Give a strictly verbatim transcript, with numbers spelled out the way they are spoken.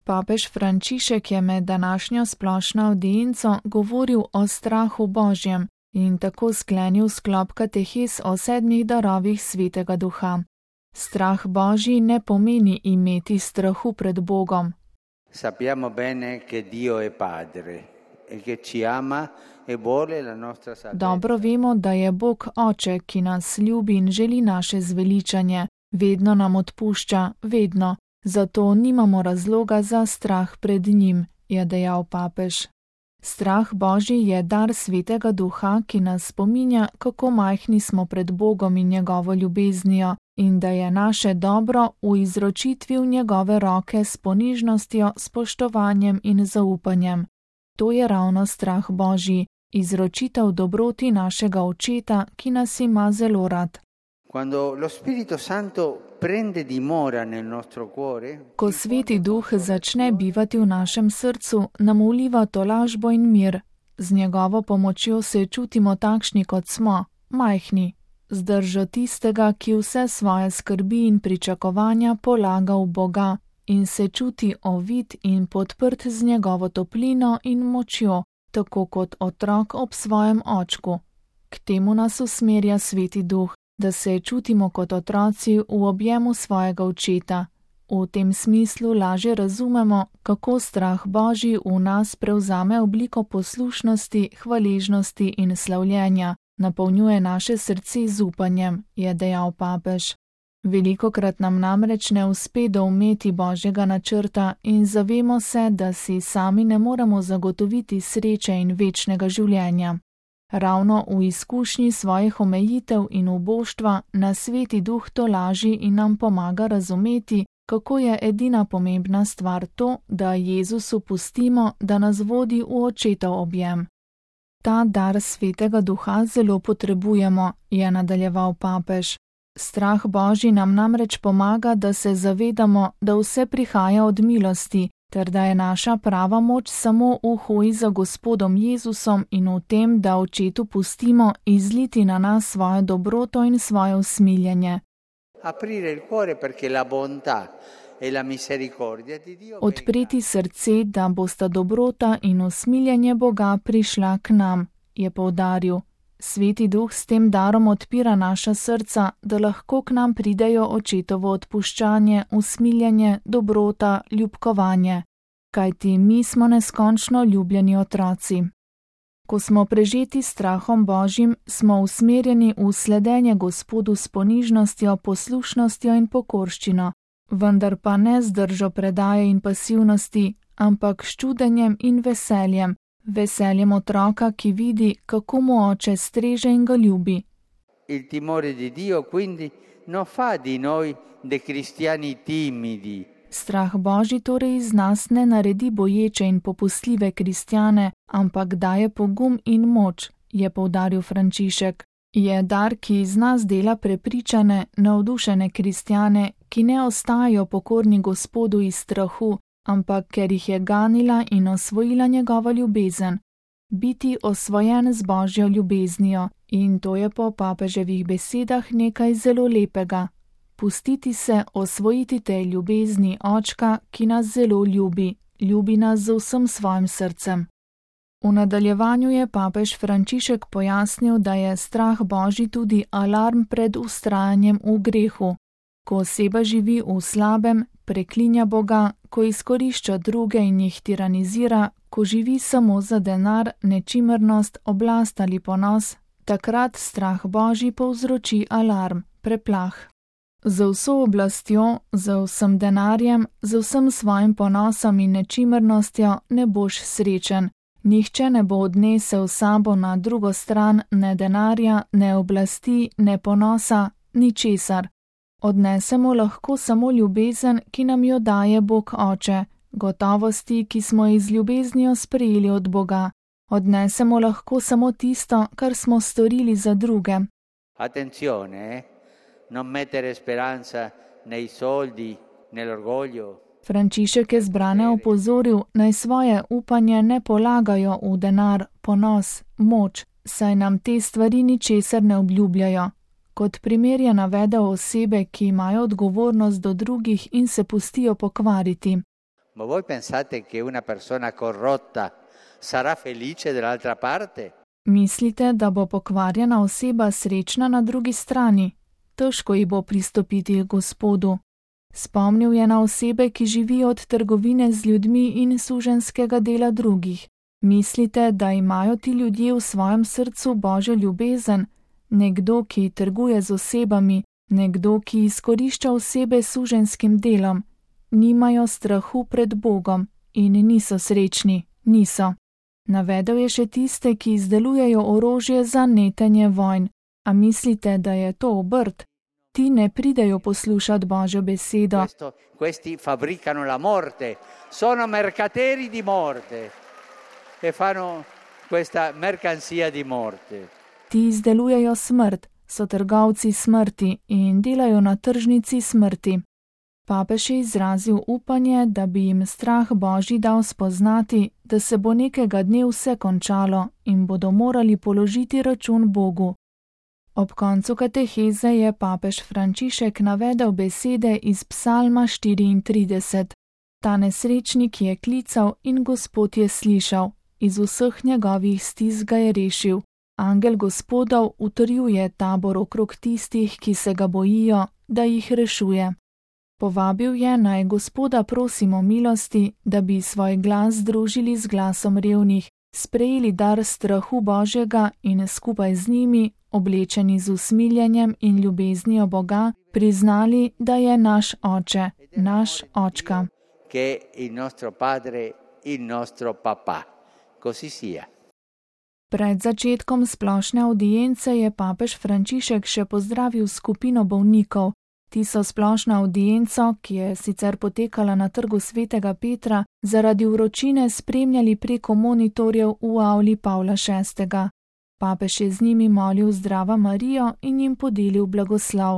Papež Frančišek je med današnjo splošno avdienco govoril o strahu Božjem in tako sklenil sklop katehes o sedmih darovih Svetega Duha. Strah Božji ne pomeni imeti strahu pred Bogom. Sappiamo bene che Dio è Padre e che ci ama e vuole la nostra salvezza. Dobro vemo, da je Bog Oče, ki nas ljubi in želi naše zveličanje, vedno nam odpušča, vedno. Zato nimamo razloga za strah pred njim, je dejal papež. Strah Božji je dar Svetega Duha, ki nas spominja, kako majhni smo pred Bogom in njegovo ljubeznijo in da je naše dobro v izročitvi v njegove roke s ponižnostjo, spoštovanjem in zaupanjem. To je ravno strah Božji, izročitev dobroti našega Očeta, ki nas ima zelo rad. Quando lo Spirito Santo prende dimora nel nostro cuore, ko Sveti Duh začne bivati v našem srcu, nam vliva tolažbo in mir. Z njegovo pomočjo se čutimo takšni, kot smo, majhni, z držo tistega, ki vse svoje skrbi in pričakovanja polaga v Boga in se čuti ovit in podprt z njegovo toplino in močjo, tako kot otrok ob svojem očku. K temu nas usmerja Sveti Duh, da se čutimo kot otroci v objemu svojega Očeta. V tem smislu lažje razumemo, kako strah Božji v nas prevzame obliko poslušnosti, hvaležnosti in slavljenja, napolnjuje naše srce z upanjem, je dejal papež. Velikokrat nam namreč ne uspe doumeti Božjega načrta in zavemo se, da si sami ne moremo zagotoviti sreče in večnega življenja. Ravno v izkušnji svojih omejitev in uboštva nas Sveti Duh tolaži in nam pomaga razumeti, kako je edina pomembna stvar to, da Jezusu pustimo, da nas vodi v Očetov objem. Ta dar Svetega Duha zelo potrebujemo, je nadaljeval papež. Strah Božji nam namreč pomaga, da se zavedamo, da vse prihaja od milosti, ter da je naša prava moč samo v hoji za Gospodom Jezusom in v tem, da Očetu pustimo izliti na nas svojo dobroto in svoje usmiljenje. Odpreti srce, da bosta dobrota in usmiljenje Boga prišla k nam, je poudaril. Sveti Duh s tem darom odpira naša srca, da lahko k nam pridejo Očetovo odpuščanje, usmiljenje, dobrota, ljubkovanje. Kajti mi smo neskončno ljubljeni otroci. Ko smo prežeti strahom Božjim, smo usmerjeni v sledenje Gospodu s ponižnostjo, poslušnostjo in pokorščino, vendar pa ne z držo predaje in pasivnosti, ampak s čudenjem in veseljem, veseljem otroka, ki vidi, kako mu Oče streže in ga ljubi. Il timore di Dio quindi non fa di noi dei cristiani timidi. Strah Božji torej iz nas ne naredi boječe in popustljive kristjane, ampak daje pogum in moč, je poudaril Frančišek. Je dar, ki iz nas dela prepričane, navdušene kristjane, ki ne ostajajo pokorni Gospodu iz strahu, ampak ker jih je ganila in osvojila njegova ljubezen. Biti osvojen z Božjo ljubeznijo, in to je po papeževih besedah nekaj zelo lepega. Pustiti se osvojiti tej ljubezni Očka, ki nas zelo ljubi, ljubi nas z vsem svojim srcem. V nadaljevanju je papež Frančišek pojasnil, da je strah Božji tudi alarm pred vztrajanjem v grehu. Ko oseba živi v slabem, preklinja Boga, ko izkorišča druge in jih tiranizira, ko živi samo za denar, nečimrnost, oblast ali ponos, takrat strah Božji povzroči alarm, preplah. Z vso oblastjo, z vsem denarjem, z vsem svojim ponosom in nečimrnostjo ne boš srečen. Nihče ne bo odnesel sabo na drugo stran ne denarja, ne oblasti, ne ponosa, ničesar. Odnesemo lahko samo ljubezen, ki nam jo daje Bog Oče, gotovosti, ki smo iz ljubeznijo sprejeli od Boga. Odnesemo lahko samo tisto, kar smo storili za druge. Attenzione, non mettere speranza nei soldi, nell'orgoglio. Frančišek je zbrane opozoril, naj svoje upanje ne polagajo v denar, ponos, moč, saj nam te stvari ničesar ne obljubljajo. Kot primer je navedel osebe, ki imajo odgovornost do drugih in se pustijo pokvariti. Ma voi pensate che una persona corrotta sarà felice dall'altra parte? Mislite, da bo pokvarjena oseba srečna na drugi strani? Težko ji bo pristopiti k Gospodu. Spomnil je na osebe, ki živijo od trgovine z ljudmi in suženjskega dela drugih. Mislite, da imajo ti ljudje v svojem srcu Božjo ljubezen? Nekdo, ki trguje z osebami, nekdo, ki izkorišča osebe s suženjskim delom. Nimajo strahu pred Bogom in niso srečni, niso. Navedel je še tiste, ki izdelujejo orožje za netenje vojn. A mislite, da je to obrt? Ti ne pridejo poslušati Božjo besedo. Questo, questi fabbricano la morte, sono mercateri di morte e fanno questa mercanzia di morte. Ti izdelujejo smrt, so trgovci smrti in delajo na tržnici smrti. Papež je izrazil upanje, da bi jim strah Božji dal spoznati, da se bo nekega dne vse končalo in bodo morali položiti račun Bogu. Ob koncu kateheze je papež Frančišek navedel besede iz Psalma štiriintrideset. Ta nesrečnik je klical in Gospod je slišal, iz vseh njegovih stisk ga je rešil. Angel Gospodov utrjuje tabor okrog tistih, ki se ga bojijo, da jih rešuje. Povabil je, naj Gospoda prosimo milosti, da bi svoj glas združili z glasom revnih, sprejeli dar strahu Božjega in skupaj z njimi, oblečeni z usmiljenjem in ljubeznijo Boga, priznali, da je naš Oče, naš Očka. Che il nostro padre, il nostro papà. Così sia. Pred začetkom splošne avdience je papež Frančišek še pozdravil skupino bolnikov. Ti so splošno avdienco, ki je sicer potekala na trgu svetega Petra, zaradi vročine spremljali preko monitorjev v avli Pavla šestega. Papež je z njimi molil Zdrava Marijo in jim podelil blagoslov.